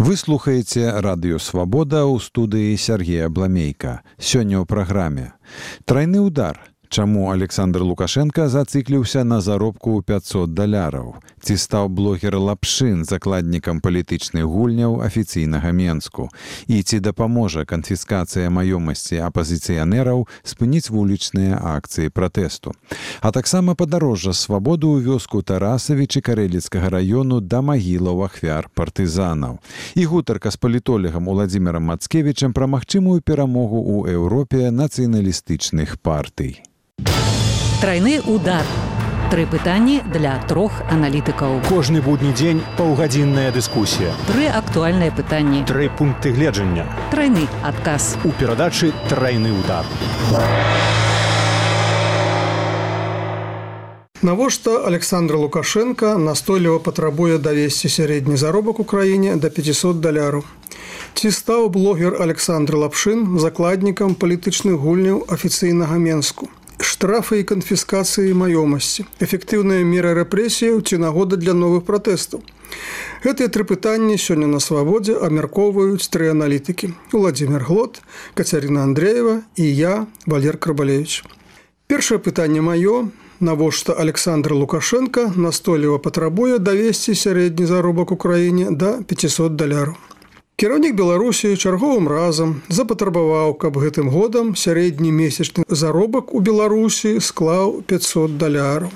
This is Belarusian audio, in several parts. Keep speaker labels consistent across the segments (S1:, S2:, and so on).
S1: Вы слухаеце радыё «Свабода» ў студыі Сергея Бламейка. Сёння ў праграме «Трайны удар». Чаму Александр Лукашенко зацикліўся на заробку ў $500? Ці стаў блогер Лапшин закладнікам палітычных гульняў афіцыйнага Менску? І ці дапаможа канфіскацыя маёмасці апазіцыянераў спыніць вулічныя акцыі пратэсту? А таксама падарожжа свабоду ў вёску Тарасавічы Карэліцкага раёну да магілаў ахвяр партызанаў. І гутарка з палітолагам Уладзімірам Мацкевічам пра магчымую перамогу ў Еўропе нацыяналістычных партый.
S2: Трайны удар. 3 пытанні для 3 аналітыкаў.
S3: Кожны будні дзень паўгадзінная дыскусія.
S2: 3 актуальныя пытанні.
S3: 3 пункты гледжання.
S2: Трайны адказ.
S3: У перадачы «Трайны удар».
S4: Навошта Александр Лукашенко настойліва патрабуе давесці сярэдні заробак у краіне да $500? Ці стаў блогер Александр Лапшин закладнікам палітычных гульняў афіцыйнага Менску? Штрафы і канфіскацыі маёмасці, эфектыўныя меры рэпрэсіяў ці нагода для новых пратэстаў. Гэтыя 3 пытанні сёння на свабодзе абмяркоўваюць 3 аналітыкі: Уладзімір Глот, Кацярына Андрэева і я, Валер Крабалевіч. Першае пытанне маё: навошта Александр Лукашенко настойліва патрабуе давесці сярэдні заробак у краіне да $500? Кіраўнік Беларусі чарговым разам запатрабаваў, каб гэтым годам сярэдні месячны заробак у Беларусі склаў $500.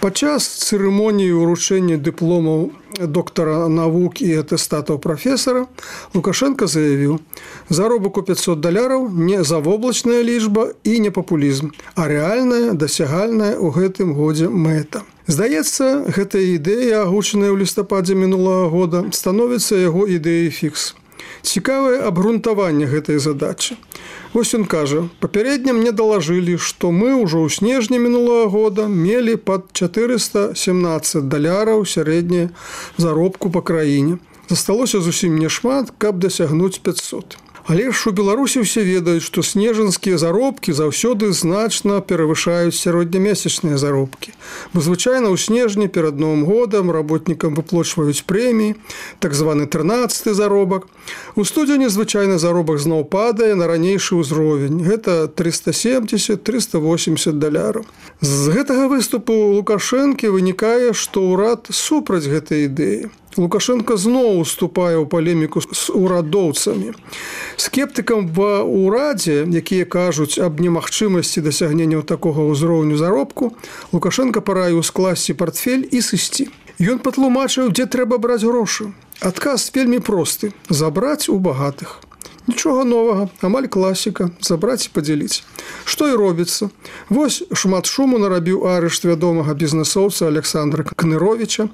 S4: Падчас цырымоніі ўручэння дыпломаў доктара навук і атэстатаў прафесара Лукашенко заявіў: заробак у $500 не завоблачная лічба і не папулізм, а рэальная, дасягальная ў гэтым годзе мэта. Здаецца, гэтая ідэя, агучаная ў лістападзе мінулага года, становіцца яго ідэяй фікс. Цікавае абгрунтаванне гэтай задачы. Вось ён кажа: папярэдне мне далажылі, што мы ўжо ў снежні мінулага года мелі пад $417 сярэдняе заробку па краіне. Засталося зусім нешмат, каб дасягнуць 500. Але ж у Беларусі ўсе ведаюць, што снежанскія заробкі заўсёды значна перавышаюць сярэднямесячныя заробкі. Бо звычайна ў снежні перад Новым годам работнікам выплачваюць прэміі, так званы 13-й заробак. У студзені звычайна заробак зноў падае на ранейшы ўзровень. Гэта $370–380. З гэтага выступу Лукашэнкі вынікае, што ўрад супраць гэтай ідэі. Лукашенко зноў уступае ў палеміку з урадоўцамі. Скептыкам ва ўрадзе, якія кажуць аб немагчымасці дасягнення такога ўзроўню заробку, Лукашенко параіў скласці партфель і сысці. Ён патлумачыў, дзе трэба браць грошы. Адказ вельмі просты: забраць у багатых. Нічога новага, амаль класіка, забраць і падзяліць. Што і робіцца. Вось шмат шуму нарабіў арышт вядомага бізнесоўца Александра Кныровіча.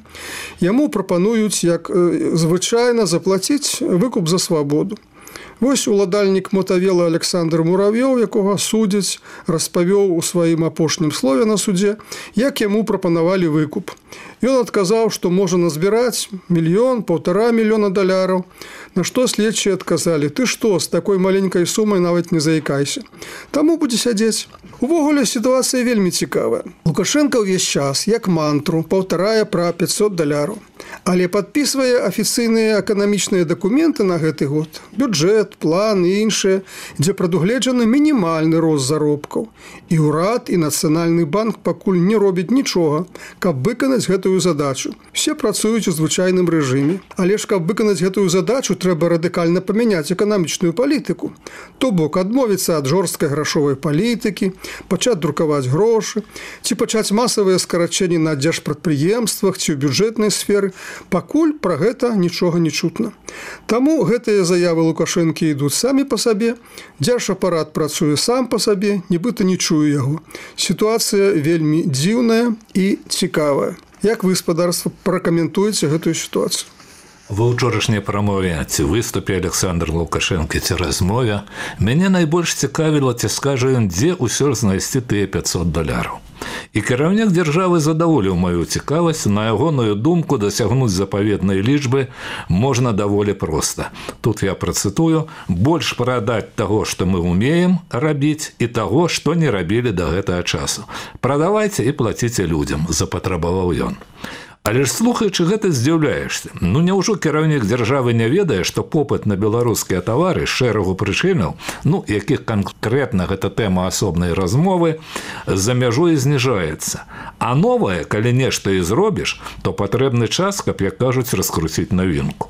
S4: Яму прапануюць, як звычайна, заплаціць выкуп за свабоду. Вось уладальнік мотавела Александр Муравёў, якога судзяць, распавёў у сваім апошнім слове на судзе, як яму прапанавалі выкуп. Ён адказаў, што можа назбіраць $1–1,5 мільёна. На што следчыя адказалі: ты што, з такой маленькай сумай нават не заікайся. Таму будзе сядзець. Увогуле сітуацыя вельмі цікавая. Лукашенко ўвесь час, як мантру, паўтарае пра $500, але падпісвае афіцыйныя эканамічныя дакументы на гэты год, бюджэт, план і іншыя, дзе прадугледжаны мінімальны рост заробкаў. І ўрад, і Нацыянальны банк пакуль не робяць нічога, каб выканаць гэтую задачу. Все працуюць у звычайным рэжыме. Але ж каб выканаць гэтую задачу, трэба радыкальна памяняць эканамічную палітыку. То бок адмовіцца ад жорсткай грашовай палітыкі, пачаць друкаваць грошы, ці пачаць масавыя скарачэнні на дзяржпрадпрыемствах ці ў бюджэтнай сферы. Пакуль пра гэта нічога не чутна. Таму гэтыя заявы Лукашэнкі ідуць самі па сабе, дзяржапарат працуе сам па сабе, нібыта не чуе яго. Сітуацыя вельмі дзіўная і цікавая. Як вы, спадарства, пракаментуеце гэтую сітуацыю?
S5: Ва ўчорашняй прамове ці выступе Александр Лукашенко ці размове мяне найбольш цікавіла, ці скажа ён, дзе ўсё ж знайсці тыя $500. І кіраўнік дзяржавы задаволіў маю цікавасць. На ягоную думку, дасягнуць запаветнай лічбы можна даволі проста. Тут я працытую: больш прадаць таго, што мы умеем рабіць, і таго, што не рабілі да гэтага часу. Прадавайце і плаціце людзям, запатрабаваў ён. Але ж слухаючы гэта здзіўляешся. Ну няўжо кіраўнік дзяржавы не ведае, што попыт на беларускія тавары з шэрагу прычынаў, якіх канкрэтна гэта тэма асобнай размовы, за мяжой зніжаецца. А новае, калі нешта і зробіш, то патрэбны час, каб, як кажуць, раскруціць навінку.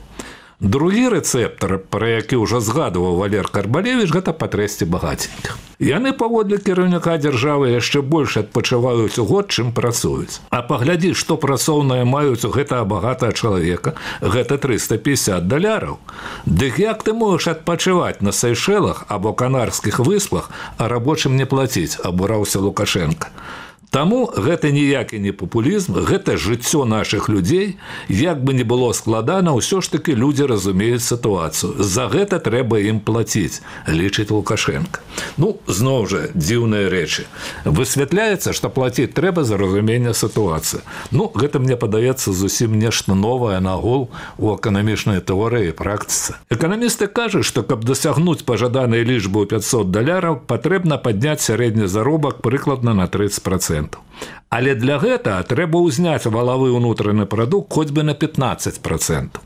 S5: Другі рэцэптар, пра які ўжо згадываў Валер Карбалевіч, гэта патрэсці багаценькіх. Яны паводле кіраўніка дзяржавы яшчэ больш адпачываюць у год, чым працуюць. А паглядзі, што працоўныя маюць у гэтага багатага чалавека, гэта $350. Дык як ты можаш адпачываць на Сейшэлах або Канарскіх выспах, а рабочым не плаціць, абураўся Лукашенка. Таму гэта ніякі не папулізм, гэта жыццё нашых людзей, як бы не было складана, ўсё ж такі людзі разумеюць сітуацыю. За гэта трэба ім плаціць, лічыць Лукашенка. Зноў жа, дзіўныя рэчы. Высвятляецца, што плаціць трэба за разуменне сітуацыі. Гэта, мне падаецца, зусім нешта новае нагул у эканамічнай тэорыі і практыцы. Эканамісты кажуць, што каб дасягнуць пажаданай лічбы ў $500, патрэбна падняць сярэдні заробак прыкладна на 30%. Але для гэтага трэба ўзняць валавы ўнутраны прадукт хоць бы на 15%.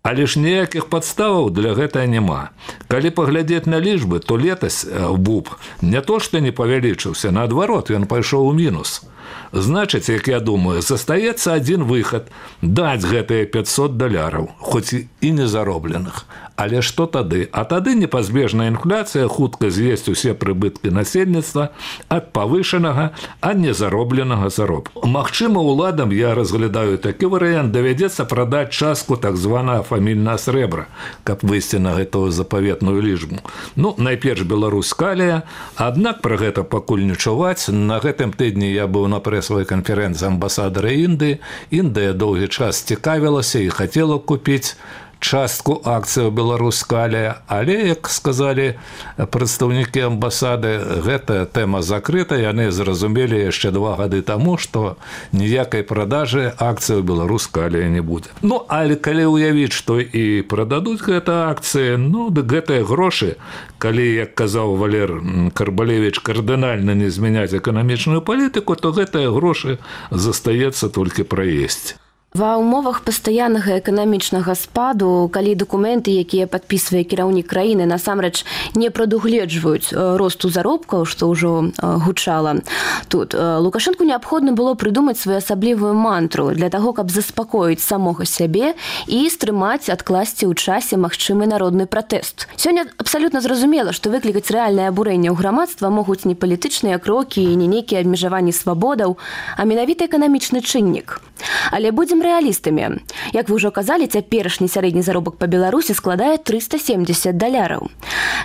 S5: Але ж ніякіх падставаў для гэтага няма. Калі паглядзець на лічбы, то летась БУП не то што не павялічыўся, наадварот, ён пайшоў у мінус. Значыць, як я думаю, застаецца адзін выхад – даць гэтыя $500, хоць і не заробленых. Але што тады? А тады непазбежная інфляцыя хутка з'есць усе прыбыткі насельніцтва ад павышанага, а не заробленага заробку. Магчыма, уладам, я разглядаю такі варыянт, давядзецца прадаць частку так званага фамільнага срэбра, каб выйсці на гэтую запаветную лічбу. Найперш Беларусь-Калія, аднак пра гэта пакуль не чуваць. На гэтым тыдні я быў на прэсавай канферэнцыі амбасадара Індыі. Індыя доўгі час цікавілася і хацела купіць частку акцыяў Беларусь-Калія, але, як сказалі прадстаўнікі амбасады, гэтая тэма закрыта, яны зразумелі яшчэ 2 гады таму, што ніякай прадажы акцыяў Беларусь-Калія не будзе. Але калі ўявіць, што і прададуць гэта акцыі, дык гэтыя грошы, калі, як казаў Валер Карбалевіч, кардынальна не змяняць эканамічную палітыку, то гэтыя грошы застаецца толькі праесці.
S6: Ва ўмовах пастаяннага эканамічнага спаду, калі дакументы, якія падпісвае кіраўнік краіны, насамрэч не прадугледжваюць росту заробкаў, што ўжо гучала тут, Лукашэнку неабходна было прыдумаць своеасаблівую мантру для таго, каб заспакоіць самога сябе і стрымаць, адкласці ў часе магчымы народны пратэст. Сёння абсалютна зразумела, што выклікаць рэальнае абурэнне ў грамадства могуць не палітычныя крокі і не нейкія абмежаванні свабодаў, а менавіта эканамічны чыннік. Але будзем рэалістамі. Як вы ўжо казалі, цяперашні сярэдні заробак па Беларусі складае $370.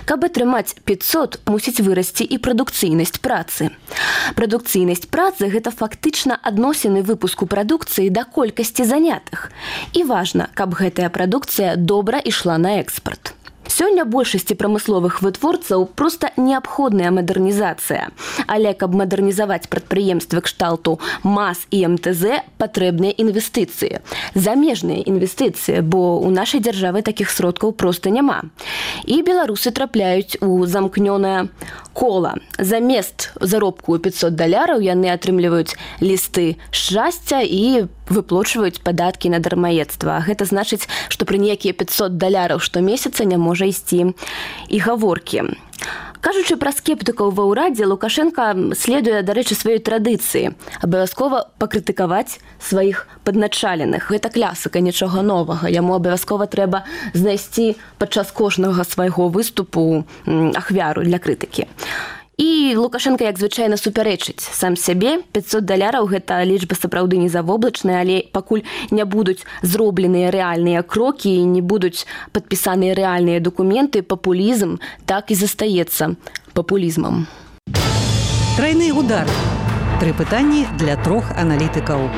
S6: Каб атрымаць 500, мусіць вырасці і прадукцыйнасць працы. Прадукцыйнасць працы – гэта фактычна адносіны выпуску прадукцыі да колькасці занятых. І важна, каб гэтая прадукцыя добра ішла на экспарт. Сёння большасці прамысловых вытворцаў проста неабходная мадэрнізацыя. Але каб мадэрнізаваць прадпрыемствы кшталту МАЗ і МТЗ, патрэбныя інвестыцыі. Замежныя інвестыцыі, бо ў нашай дзяржавы такіх сродкаў проста няма. І беларусы трапляюць у замкнёнае кола. Замест заробку $500 яны атрымліваюць лісты шчасця і выплочваюць падаткі на дармаедства. Гэта значыць, што пры некія $500 штомесяца не можа ісці і гаворкі. Кажучы пра скептыкаў ва ўрадзе, Лукашенка следуе, дарэчы, сваёй традыцыі абавязкова пакрытыкаваць сваіх падначаленых. Гэта класіка, нічога новага. Яму абавязкова трэба знайсці падчас кожнага свайго выступу ахвяру для крытыкі. І Лукашенка, як звычайна, супярэчыць сам сябе. $500 гэта лічба сапраўды не завоблачная, але пакуль не будуць зробленыя рэальныя крокі і не будуць падпісаныя рэальныя дакументы, папулізм так і застаецца папулізмам.
S2: Трайны удар. 3 пытанні для 3 аналітыкаў.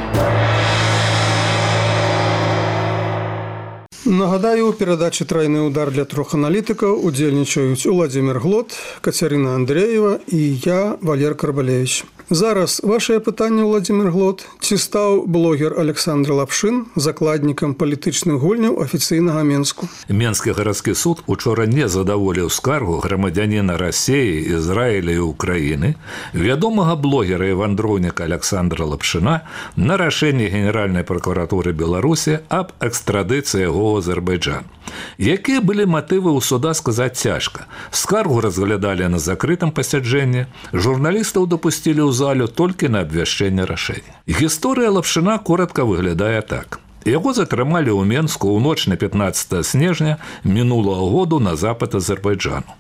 S4: Нагадаю, у перадачы «Трайны удар» для 3 аналітыкаў удзельнічаюць Уладзімір Глот, Кацярына Андрэева і я, Валер Карбалевіч. Зараз вашее пытанне, Владимир Глот. Ці стаў блогер Александр Лапшин закладнікам палітычных гульняў афіцыйнага Менску?
S5: Менскі гарадскі суд учора не задаволіў скаргу грамадзяніна Расіі, Ізраіля і Украіны, вядомага блогера і вандроўніка Александра Лапшина на рашэнне Генеральнай прокуратуры Беларусі аб экстрадыцыі яго ў Азербайджан. Якія былі матывы ў суда, сказаць цяжка. Скаргу разглядалі на закрытым пасяджэнні, журналістаў дапусцілі ў залю толькі на абвяшчэнне рашэння. Гісторыя Лапшина коротко выглядае так. Яго затрымалі ў Менску ў ноч на 15 снежня мінулага году на запад Азербайджану.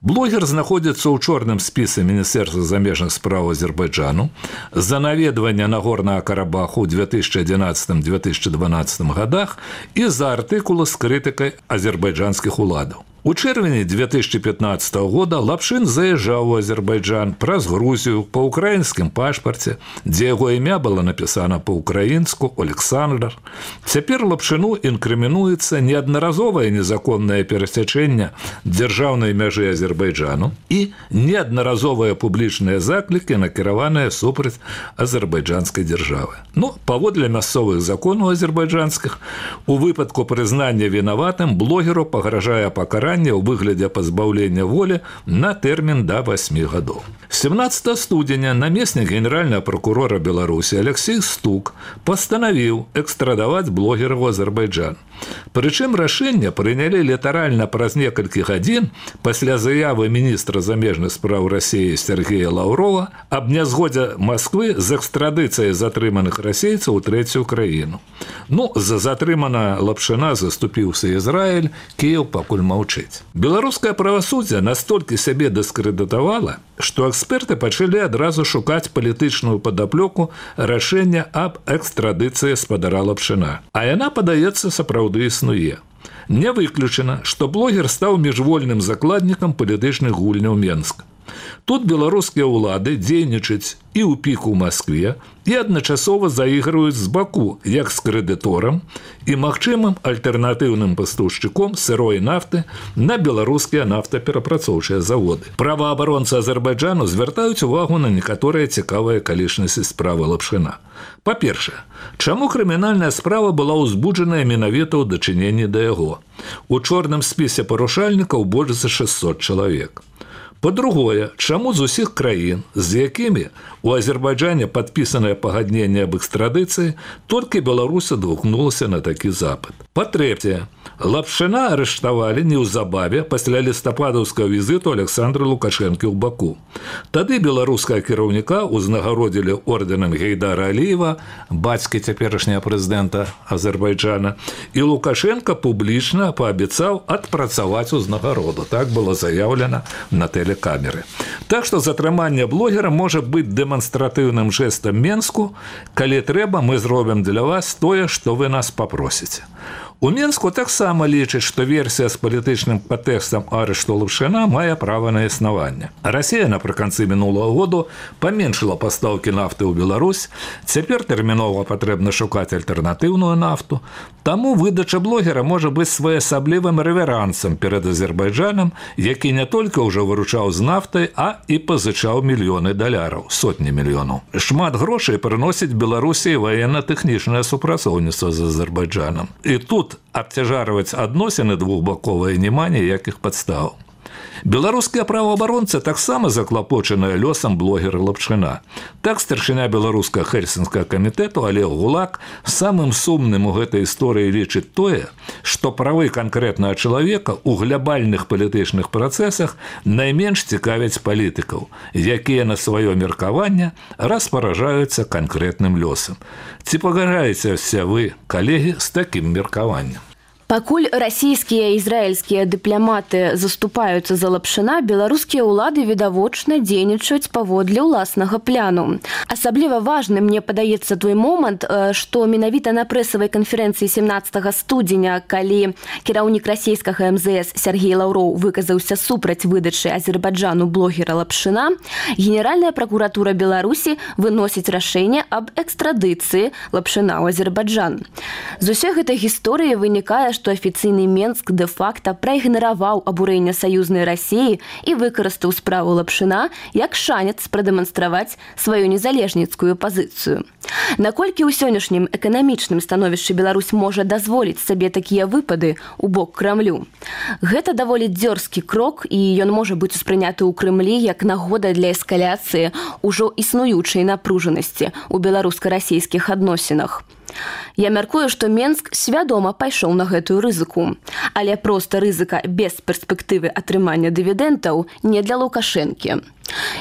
S5: Блогер знаходзіцца ў чорным спісе Міністэрства замежных спраў Азербайджану за наведванне Нагорнага Карабаху ў 2011-2012 годах і за артыкулы з крытыкай азербайджанскіх уладаў. У чэрвені 2015 года Лапшин заязджаў у Азербайджан праз Грузію па ўкраінскім пашпарце, дзе яго імя было напісана па-ўкраінску Александр. Цяпер Лапшину інкрымінуецца неаднаразовае незаконнае перасячэнне дзяржаўнай мяжы Азербайджану і неаднаразовыя публічныя заклікі, накіраваныя супраць азербайджанскай дзяржавы. Паводле мясцовых законаў азербайджанскіх, у выпадку прызнання вінаватым блогеру пагражае пакаранне ў выглядзе пазбаўлення волі на тэрмін да 8 гадоў. 17 студзеня намеснік генеральнага прокурора Беларусі Алексей Стук пастанавіў экстрадаваць блогера ў Азербайджан. Прычым рашэнне прынялі літаральна праз некалькі гадзін пасля заявы міністра замежных спраў Расіі Сергея Лаўрова аб нязгодзе Масквы з экстрадыцыяй затрыманых расейцаў у трэцюю краіну. За затрымана Лапшина заступіўся Ізраіль, Кіеў пакуль маўчыць. Беларускае правасуддзе настолькі сябе дыскрэдытавала, што эксперты пачалі адразу шукаць палітычную падаплёку рашэння аб экстрадыцыі спадара Лапшина. А яна, падаецца, сапраўды існуе. Не выключана, што блогер стаў міжвольным закладнікам палітычных гульняў Менска. Тут беларускія ўлады дзейнічаюць і ў піку ў Маскве, і адначасова заіграюць з баку, як з крэдыторам і магчымым альтэрнатыўным пастаўшчыком сырой нафты на беларускія нафтаперапрацоўчыя заводы. Праваабаронцы Азербайджану звяртаюць увагу на некаторыя цікавыя акалічнасці справы Лапшина. Па-першае, чаму крымінальная справа была ўзбуджаная менавіта ў дачыненні да яго? У чорным спісе парушальнікаў больш за 600 чалавек. Па-другое, чаму з усіх краін, з якімі у Азербайджане падпісанае пагадненне аб экстрадыцыі, толькі Беларусь адгукнулася на такі запыт. Па-трэцяе, Лапшина арыштавалі неўзабаве пасля лістападаўскага візіту Александра Лукашэнкі ў Баку. Тады беларускага кіраўніка ўзнагародзілі ордэнам Гейдара Аліева, бацькі цяперашняга прэзідэнта Азербайджана, і Лукашенка публічна паабяцаў адпрацаваць узнагароду. Так было заяўлена на тэлекамеры. Так што затрыманне блогера можа быць дэманстратыўным жэстам Менску, калі трэба, мы зробім для вас тое, што вы нас папросіце. У Менску таксама лічаць, што версія з палітычным падтэкстам арышту Лапшина мае права на існаванне. Расія напрыканцы мінулага году паменшыла пастаўкі нафты ў Беларусь, цяпер тэрмінова патрэбна шукаць альтэрнатыўную нафту, таму выдача блогера можа быць своеасаблівым рэверансам перад Азербайджанам, які не толькі ўжо выручаў з нафтай, а і пазычаў мільёны даляраў, сотні мільёнаў. Шмат грошай прыносіць Беларусі ваенна-тэхнічнае супрацоўніцтва з Азербайджанам. І тут абцяжарваць адносіны двухбаковыя няма ніякіх падстаў. Беларускія праваабаронцы таксама заклапочаныя лёсам блогера Лапшина. Так старшыня беларускага Хельсінскага камітэту Олег Гулак самым сумным у гэтай історыі лічыць тое, што правы канкрэтнага чалавека ў глябальных палітычных працэсах найменш цікавяць палітыкаў, якія на сваё меркаванне распаражаюцца канкрэтным лёсам. Ці пагаджаецеся вы, калегі, з такім меркаваннем?
S6: Пакуль расійскія і ізраільскія дыпламаты заступаюцца за Лапшина, беларускія ўлады відавочна дзейнічаюць паводле ўласнага пляну. Асабліва важны, мне падаецца, той момант, што менавіта на прэсавай канферэнцыі 17 студзеня, калі кіраўнік расійскага МЗС Сергей Лаўроў выказаўся супраць выдачы Азербайджану блогера Лапшина, Генеральная пракуратура Беларусі выносіць рашэнне аб экстрадыцыі Лапшина ў Азербайджан. З усёй гэтай гісторыі вынікае, што афіцыйны Менск дэ-факта праігнараваў абурэнне саюзнай Расіі і выкарыстаў справу Лапшына як шанец прадэманстраваць сваю незалежніцкую пазіцыю. Наколькі ў сённяшнім эканамічным становішчы Беларусь можа дазволіць сабе такія выпады ў бок Крамлю? Гэта даволі дзёрзкі крок, і ён можа быць успрыняты ў Крымлі як нагода для эскаляцыі ўжо існуючай напружанасці ў беларуска-расійскіх адносінах. Я мяркую, што Менск свядома пайшоў на гэтую рызыку. Але проста рызыка без перспектывы атрымання дывідэнтаў не для Лукашэнкі.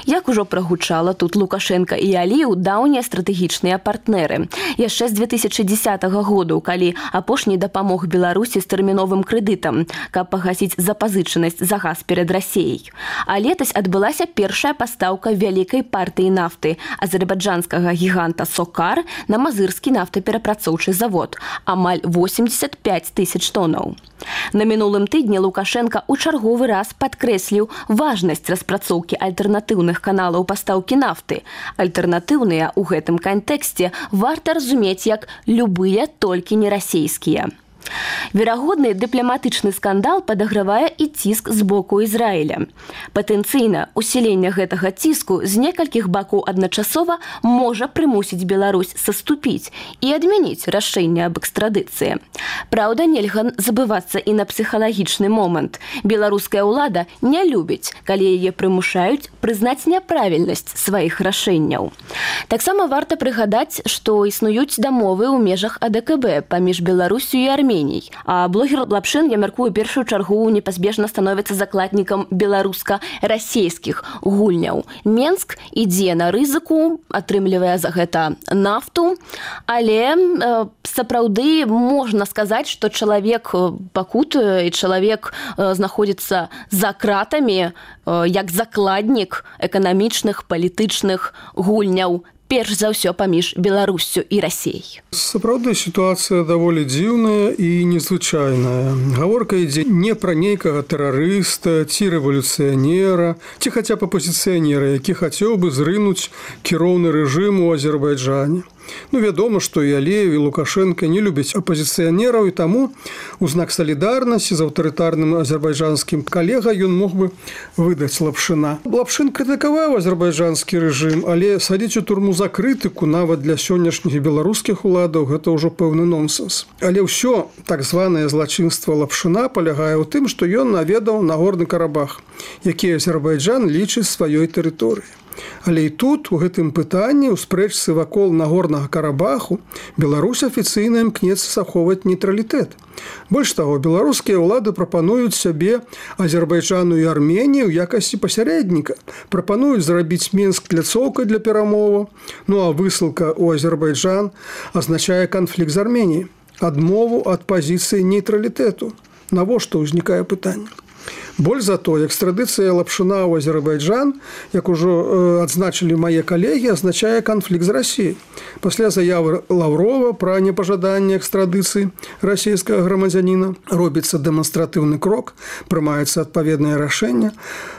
S6: Як ужо прагучала, тут Лукашенка і Аліеў даўнія стратэгічныя партнеры. Яшчэ з 2010 году, калі апошні дапамог Беларусі з тэрміновым крэдытам, каб пагасіць запазычанасць за газ перад Расіяй. А летась адбылася першая пастаўка вялікай партыі нафты азербайджанскага гіганта «Сокар» на мазырскі нафтаперапрацоўчы завод, амаль 85 тысяч тонаў. На мінулым тыдні Лукашенка ў чарговы раз падкрэсліў важнасць распрацоўкі альтэрнатыўных каналаў пастаўкі нафты. Альтэрнатыўныя ў гэтым кантэксце варта разумець як любыя, толькі не расійскія. Верагодны дыпламатычны скандал падагравае і ціск з боку Ізраіля. Патэнцыйна усіленне гэтага ціску з некалькіх бакоў адначасова можа прымусіць Беларусь саступіць і адмяніць рашэнне аб экстрадыцыі. Праўда, нельга забывацца і на псіхалагічны момант. Беларуская ўлада не любіць, калі яе прымушаюць прызнаць няправільнасць сваіх рашэнняў. Таксама варта прыгадаць, што існуюць дамовы ў межах АДКБ паміж Беларусю і Арменіяй. А блогер Лапшын, я мяркую, першую чаргу непазбежна становіцца закладнікам беларуска-расійскіх гульняў. Менск ідзе на рызыку, атрымлівае за гэта нафту, але сапраўды можна сказаць, што чалавек пакутуе і чалавек знаходзіцца за кратамі як закладнік эканамічных, палітычных гульняў, перш за ўсё паміж Беларуссю і Расіяй.
S4: Сапраўды сітуацыя даволі дзіўная і незвычайная. Гаворка ідзе не пра нейкага тэрарыста ці рэвалюцыянера, ці хаця б апозіцыянера, які хацеў бы зрынуць кіроўны рэжым у Азербайджане. Вядома, што і Аліеў, і Лукашенка не любяць апозіцыянераў, і таму у знак салідарнасці з аўтарытарным азербайджанскім калегай ён мог бы выдаць Лапшына. Лапшын крытыкаваў азербайджанскі рэжым, але садзіць у турму за крытыку нават для сённяшніх беларускіх уладаў гэта ўжо пэўны нонсенс. Але ўсё так званае злачынства Лапшына палягае ў тым, што ён наведаў Нагорны Карабах, які Азербайджан лічыць сваёй тэрыторыяй. Але і тут, у гэтым пытанні, у спрэчцы вакол Нагорнага Карабаху, Беларусь афіцыйна імкнецца захоўваць нейтралітэт. Больш таго, беларускія ўлады прапануюць сябе Азербайджану і Арменіі ў якасці пасярэдніка. Прапануюць зрабіць Менск пляцоўкай для перамоваў. А высылка ў Азербайджан азначае канфлікт з Арменіяй, адмову ад пазіцыі нейтралітэту. Навошта ўзнікае пытанне? Больш за то, экстрадыцыя Лапшына ў Азербайджан, як ужо адзначылі мае калегі, азначае канфлікт з Расіяй. Пасля заявы Лаўрова пра непажаданне экстрадыцыі расійскага грамадзяніна робіцца дэманстратыўны крок, прымаецца адпаведнае рашэнне.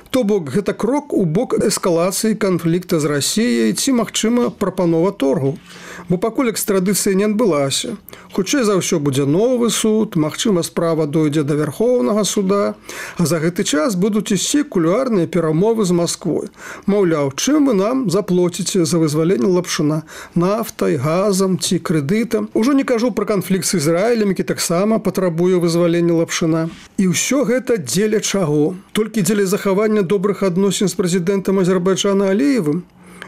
S4: То бок, гэта крок у бок эскалацыі канфлікта з Расіяй ці, магчыма, прапанова торгу. Бо пакуль экстрадыцыя не адбылася. Хутчэй за ўсё будзе новы суд, магчыма, справа дойдзе да Вярхоўнага суда, а за гэты час будуць ісці кулуарныя перамовы з Масквой. Маўляў, чым вы нам заплоціце за вызваленне Лапшына? Нафтай, газам ці крэдытам? Ужо не кажу пра канфлікт з Ізраілем, які таксама патрабуе вызвалення Лапшына. І ўсё гэта дзеля чаго? Толькі дзеля захавання добрых адносін з прэзідэнтам Азербайджана Аліевым?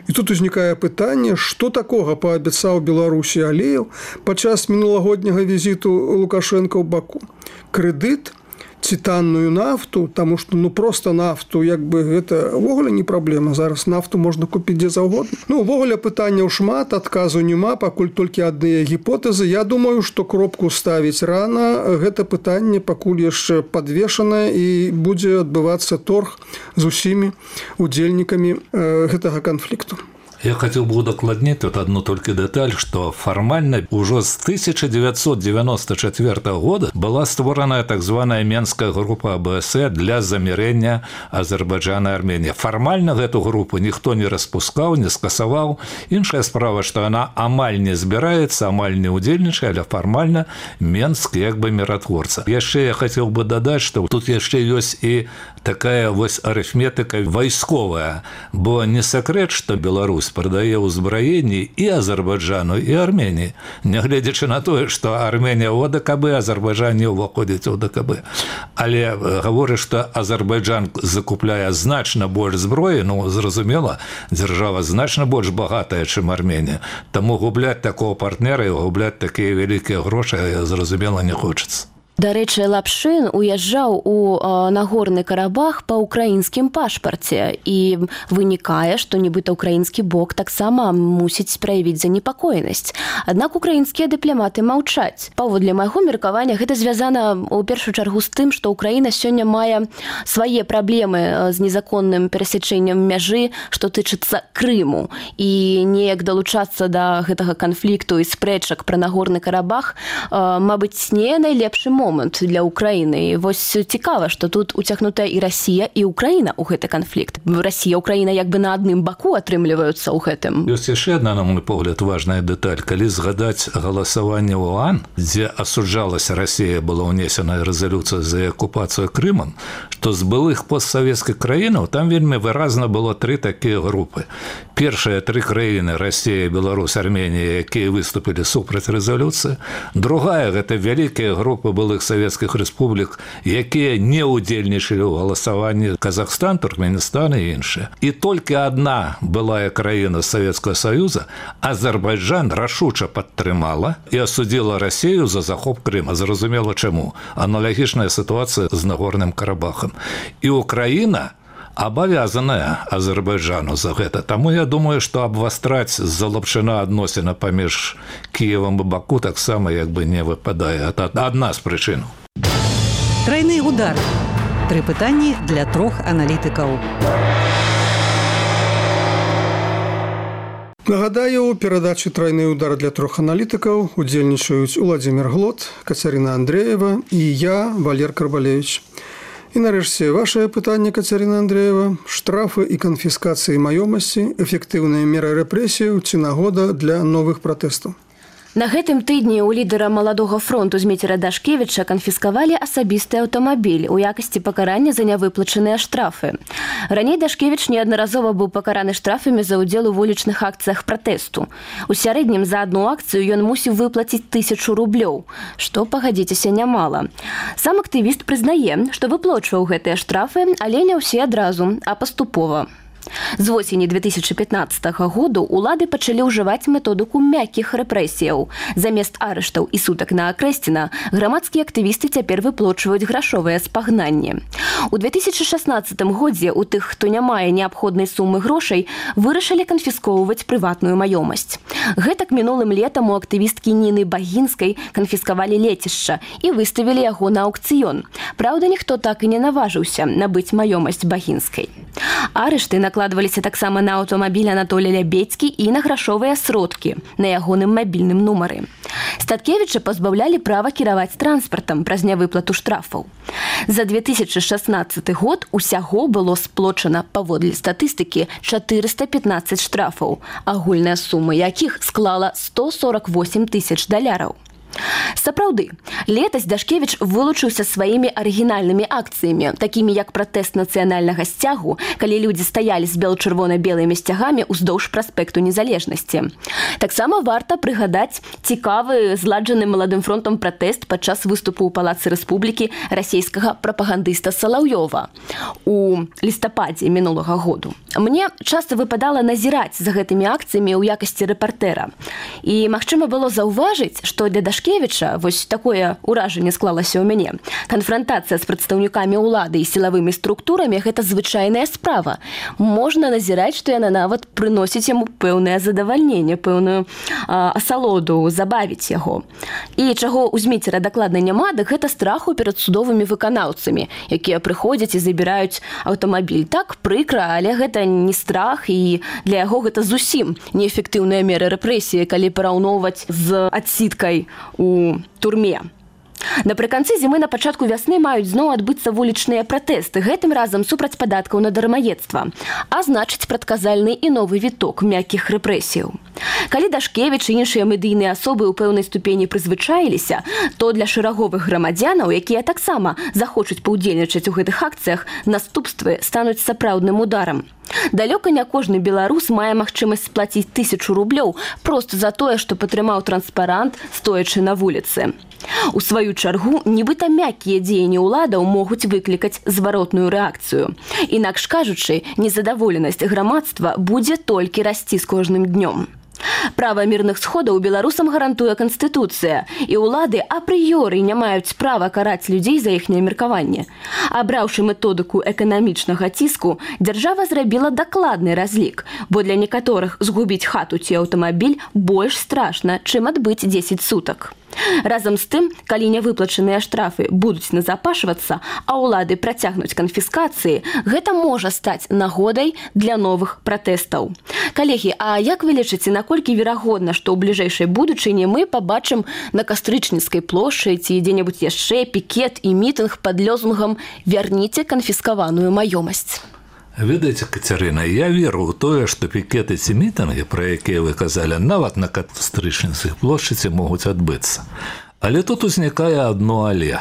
S4: І тут узнікае пытанне, што такога паабяцаў Беларусі Аліеў падчас мінулагодняга візіту Лукашенка ў Баку? Крэдыт ці танную нафту, таму што проста нафту гэта ўвогуле не праблема. Зараз нафту можна купіць дзе заўгодна. Увогуле пытанняў шмат, адказу няма, пакуль толькі адныя гіпотэзы. Я думаю, што кропку ставіць рана. Гэта пытанне пакуль яшчэ падвешанае і будзе адбывацца торг з усімі удзельнікамі гэтага канфлікту.
S5: Я хотел бы удокладнить вот одну только деталь, что формально уже с 1994 года была створена так званая Менская группа АБСЕ для замирения Азербайджана и Армении. Формально эту группу никто не распускал, не скасовал. Иншая справа, что она амаль не збираецца, амаль не удзельнічае, але формально Менск как бы миротворца. Еще я хотел бы додать, что тут еще есть и такая вот арифметика войсковая, бо не секрет, что Беларусь продае ўзбраенні і Азербайджану, і Арменіі, нягледзячы на тое, што Арменія ў ОДКБ, Азербайджан не ўваходзіць у ОДКБ. Але гаворыць, што Азербайджан закупляе значна больш зброі, ну, зразумела, дзяржава значна больш багатая, чым Арменія. Таму губляць такого партнера і губляць такія вялікія грошы, зразумела, не хочацца.
S6: Дарэчы, Лапшин уязджаў у Нагорны Карабах па ўкраінскім пашпарце і вынікае, што нібыта ўкраінскі бок таксама мусіць праявіць занепакоенасць. Аднак украінскія дыпламаты маўчаць. Паводле майго меркавання, гэта звязана ў першую чаргу з тым, што Украіна сёння мае свае праблемы з незаконным перасячэннем мяжы, што тычыцца Крыму. І неяк далучацца да гэтага канфлікту і спрэчак пра Нагорны Карабах, мабыць, не найлепшы момант для Украіны. І вось цікава, што тут уцягнутая і Расія, і Украіна ў гэты канфлікт. Расія, Украіна як бы на адным баку атрымліваюцца ў гэтым.
S5: Ёсць яшчэ адна, на мой погляд, важная дэталь. Калі згадаць галасаванне ў ОАН, дзе асуджалася Расія, была ўнесена рэзалюцыя за акупацыю Крымам, што з былых постсавецкіх краінаў там вельмі выразна было тры такія групы. Першыя тры краіны, Расія, Беларусь, Арменія, якія выступілі супраць рэзалюцыі. Другая, гэта вялікія групы былых савецкіх рэспублік, якія не ўдзельнічалі ў галасаванні: Казахстан, Туркменістан і іншыя. І толькі адна былая краіна Савецкага Саюза, Азербайджан, рашуча падтрымала і асудзіла Расію за захоп Крыма. Зразумела чаму. Аналагічная сітуацыя з Нагорным Карабахам. І Украіна абавязаная Азербайджану за гэта. Таму я думаю, што абвастраць з-за Лапшына адносіны паміж Кіевам і Баку таксама як бы не выпадае. Это адна з прычын.
S2: Трайны удар. Тры пытанні для трох аналітыкаў.
S4: Нагадаю, у перадачы «Трайны удар» для трох аналітыкаў удзельнічаюць Уладзімір Глот, Кацярына Андреева і я, Валер Карбалевич. І нарэшце вашае пытанне, Кацярына Андреева: штрафы і канфіскацыі маёмасці, эфектыўныя меры рэпрэсіяў ці нагода для новых пратэстаў?
S6: На гэтым тыдні ў лідара маладога фронту Зміцера Дашкевіча канфіскавалі асабісты аўтамабіль у якасці пакарання за нявыплачаныя штрафы. Раней Дашкевіч неаднаразова быў пакараны штрафамі за ўдзел у вулічных акцыях пратэсту. У сярэднім за адну акцыю ён мусіў выплаціць 1000 рублёў, што, пагадзіцеся, нямала. Сам актывіст прызнае, што выплачваў гэтыя штрафы, але не ўсе адразу, а паступова. З восені 2015 году улады пачалі ўжываць методыку мяккіх рэпрэсіяў. Замест арыштаў і сутак на Акрэсціна грамадскія актывісты цяпер выплачваюць грашовыя спагнанні. У 2016 годзе у тых, хто не мае неабходнай сумы грошай, вырашылі канфіскоўваць прыватную маёмасць. Гэтак мінулым летам у актывісткі Ніны Багінскай канфіскавалі лецішча і выставілі яго на аўкцыён. Праўда, ніхто так і не наважыўся набыць маёмасць Багінскай. Арышты накладваліся таксама на аўтамабіль Анатолія Лябедзькі і на грашовыя сродкі на ягоным мабільным нумары. Статкевіча пазбаўлялі права кіраваць транспартам праз нявыплату штрафаў. За 2016 год усяго было сплочана, паводле статыстыкі, 415 штрафаў, агульная сума якіх склала $148 000. Сапраўды, летась Дашкевіч вылучыўся сваімі арыгінальнымі акцыямі, такімі як пратэст нацыянальнага сцягу, калі людзі стаялі з бел-чырвона-белымі сцягамі ўздоўж праспекту Незалежнасці. Таксама варта прыгадаць цікавы зладжаны маладым фронтам пратэст падчас выступу ў Палацы Рэспублікі расійскага прапагандыста Салаўёва у лістападзе мінулага году. Мне часта выпадала назіраць за гэтымі акцыямі ў якасці рэпартэра. І магчыма было заўважыць, што для Дашкевіча Дашкевіча, вось такое ўражанне склалася ў мяне. Канфрантацыя з прадстаўнікамі ўлады і сілавымі структурамі – гэта звычайная справа. Можна назіраць, што яна нават прыносіць яму пэўнае задавальненне, пэўную асалоду, забавіць яго. І чаго ў Зміцера дакладна няма, дык гэта страху перад судовымі выканаўцамі, якія прыходзяць і забіраюць аўтамабіль. Так, прыкра, але гэта не страх, і для яго гэта зусім неэфектыўная мера рэпрэсіі, калі параўноўваць з адсідкай у турме. Напрыканцы зімы на пачатку вясны маюць зноў адбыцца вулічныя пратэсты, гэтым разам супраць падаткаў на дармаедства, а значыць прадказальны і новы віток мяккіх рэпрэсіяў. Калі Дашкевіч і іншыя медыйныя асобы ў пэўнай ступені прызвычаіліся, то для шэраговых грамадзянаў, якія таксама захочуць паўдзельнічаць у гэтых акцыях, наступствы стануць сапраўдным ударам. Далёка не кожны беларус мае магчымасць сплаціць 1000 рублёў проста за тое, што падтрымаў транспарант, стоячы на вуліцы. У сваю чаргу, нібыта мяккія дзеянні ўладаў могуць выклікаць зваротную рэакцыю. Інакш кажучы, незадаволенасць грамадства будзе толькі расці з кожным днём. Права мірных сходаў беларусам гарантуе Канстытуцыя, і ўлады апрыёры не маюць права караць людзей за іхняе меркаванне. Абраўшы методыку эканамічнага ціску, дзяржава зрабіла дакладны разлік, бо для некаторых згубіць хату ці аўтамабіль больш страшна, чым адбыць 10 сутак. Разам з тым, калі нявыплачаныя штрафы будуць назапашвацца, а ўлады працягнуць канфіскацыі, гэта можа стаць нагодай для новых пратэстаў. Калегі, а як вы лічыце, наколькі верагодна, што ў бліжэйшай будучыні мы пабачым на Кастрычніцкай плошчы ці дзе-небудзь яшчэ пікет і мітынг пад лозунгам «Вярніце канфіскаваную маёмасць»?
S5: Ведаеце, Кацярына, я веру ў тое, што пікеты ці мітынгі, пра якія вы казалі, нават на Кастрычніцкай плошчы могуць адбыцца. Але тут узнікае адно але.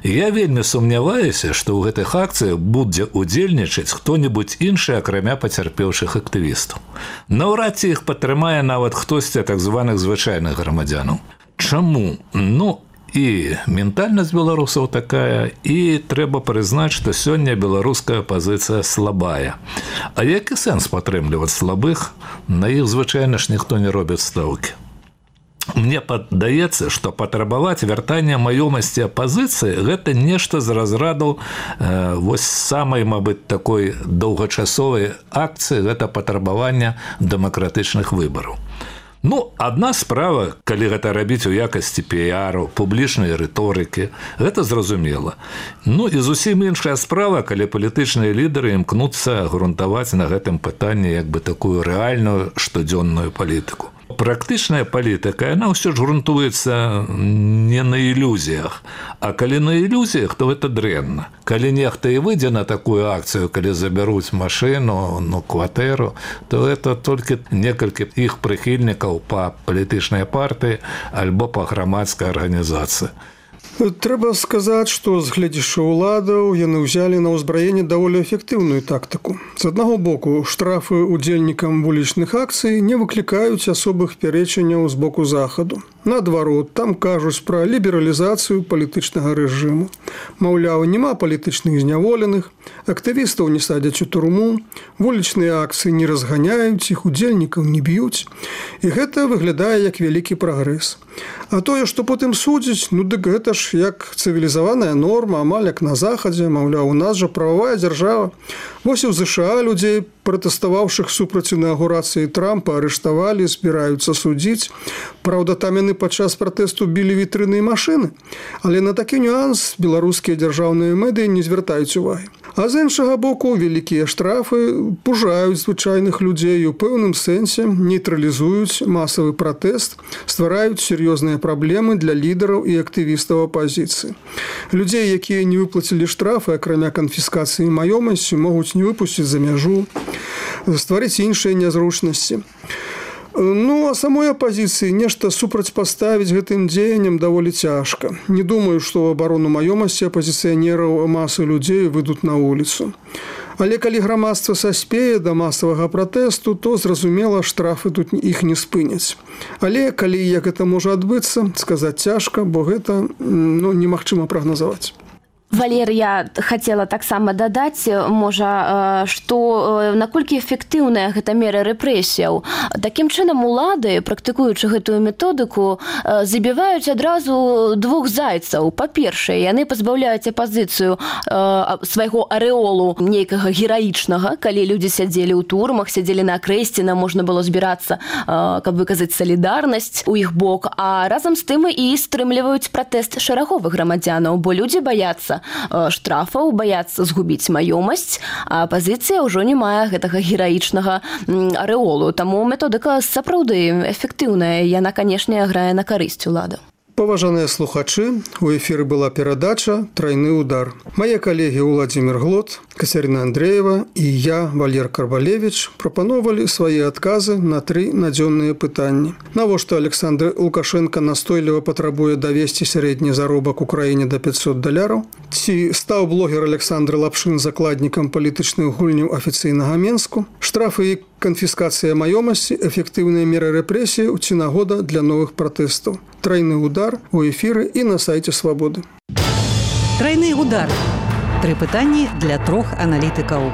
S5: Я вельмі сумняваюся, што ў гэтых акцыях будзе удзельнічаць хто-небудзь іншы, акрамя пацярпеўшых актывістаў. Наўрад ці іх падтрымае нават хтосьці так званых звычайных грамадзянаў. Чаму? І ментальнасць беларусаў такая, і трэба прызнаць, што сёння беларуская пазіцыя слабая. А які сэнс падтрымліваць слабых? На іх звычайна ж ніхто не робіць стаўкі. Мне падаецца, што патрабаваць вяртання маёмасці апазіцыі – гэта нешта з разраду вось самай, мабыць, такой доўгачасовай акцыі – гэта патрабавання дэмакратычных выбараў. Адна справа, калі гэта рабіць у якасці піяру, публічнай рыторыкі, гэта зразумела. І зусім іншая справа, калі палітычныя лідары імкнуцца грунтаваць на гэтым пытанні як бы такую рэальную штодзённую палітыку. Практычная палітыка, яна ўсё ж грунтуецца не на ілюзіях. А калі на ілюзіях, то гэта дрэнна. Калі нехта і выйдзе на такую акцыю, калі забяруць машыну, кватэру, то гэта толькі некалькі іх прыхільнікаў па палітычнай партыі альбо па грамадскай арганізацыі.
S4: Трэба сказаць, што з гледзячы ўладаў яны ўзялі на ўзбраенне даволі эфектыўную тактыку. З аднаго боку, штрафы удзельнікам вулічных акцый не выклікаюць асобых пярэчанняў з боку захаду. Наадварот, там кажуць пра лібералізацыю палітычнага рэжыму. Маўляў, няма палітычных зняволеных, актывістаў не садзяць у турму, вулічныя акцыі не разганяюць, іх удзельнікаў не б'юць. І гэта выглядае як вялікі прагрэс. А тое, што потым судзяць, дык гэта ж як цывілізаваная норма, амаль як на захадзе, маўляў, у нас жа прававая дзяржава. Вось і ў ЗША людзей, пратэставаўшых супраць інаўгурацыі Трампа, арыштавалі, збіраюцца судзіць. Праўда, там яны падчас пратэсту білі вітрыны і машыны. Але на такі нюанс беларускія дзяржаўныя медыі не звяртаюць увагі. А з іншага боку, вялікія штрафы пужаюць звычайных людзей і ў пэўным сэнсе нейтралізуюць масавы пратэст, ствараюць сур'ёзныя праблемы для лідараў і актывістаў апазіцыі. Людзей, якія не выплацілі штрафы, акрамя канфіскацыі маёмасці, могуць не выпусціць за мяжу, стварыць іншыя нязручнасці. А самой апазіцыі нешта супрацьпаставіць гэтым дзеянням даволі цяжка. Не думаю, што ў абарону маёмасці апазіцыянераў масы людзей выйдуць на вуліцу. Але калі грамадства саспее да масавага пратэсту, то, зразумела, штрафы тут іх не спыняць. Але калі як гэта можа адбыцца, сказаць цяжка, бо гэта немагчыма прагназаваць.
S6: Валер, я хотела таксама дадаць, можа, што наколькі эфектыўная гэта мера рэпрэсіяў. Такім чынам улады, практыкуючы гэтую методыку, забіваюць адразу двух зайцаў. Па-першае, яны пазбаўляюць апазіцыю свайго арэолу нейкага гераічнага, калі людзі сядзелі ў турмах, сядзелі на крэсціна, можна было збірацца, каб выказаць салідарнасць у іх бок, а разам з тым і стрымліваюць пратэст шэраговых грамадзянаў, бо людзі баяцца штрафаў, баяцца згубіць маёмасць, а апазіцыя ўжо не мае гэтага гераічнага арэолу. Таму методыка сапраўды эфектыўная, яна, канешне, грае на карысць улада.
S4: Паважаныя слухачы, у эфіры была перадача «Трайны удар». Мае калегі Уладзімір Глот, Кацярына Андрэева і я, Валер Карбалевіч, прапановалі свае адказы на 3 надзённыя пытанні. Навошта Александр Лукашенко настойліва патрабуе давесці сярэдні заробак у краіне да $500? Ці стаў блогер Александр Лапшын закладнікам палітычных гульняў афіцыйнага Менску? Штрафы і канфіскацыя маёмасці, эфектыўныя меры рэпрэсіі ці нагода для новых пратэстаў. «Трайны удар» у эфіры і на сайце «Свабоды».
S2: Трайны удар. 3 пытанні для 3 аналітыкаў.